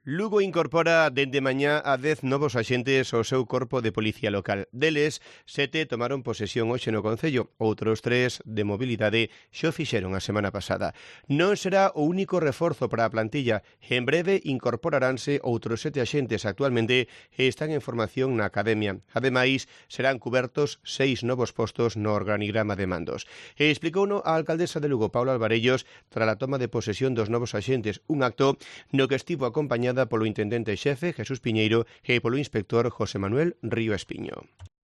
Lugo incorpora dende mañá a 10 novos axentes ao seu corpo de policía local. Deles, 7 tomaron posesión hoxe no Concello, outros 3 de mobilidade xo fixeron a semana pasada. Non será o único reforzo para a plantilla. En breve incorporaranse outros 7 axentes actualmente e están en formación na academia. Ademais, serán cubertos 6 novos postos no organigrama de mandos. E explicouno a alcaldesa de Lugo, Paula Alvarellos, tras a toma de posesión dos novos axentes, un acto no que estivo acompañada polo intendente xefe Jesús Piñeiro e polo inspector José Manuel Río Espiño.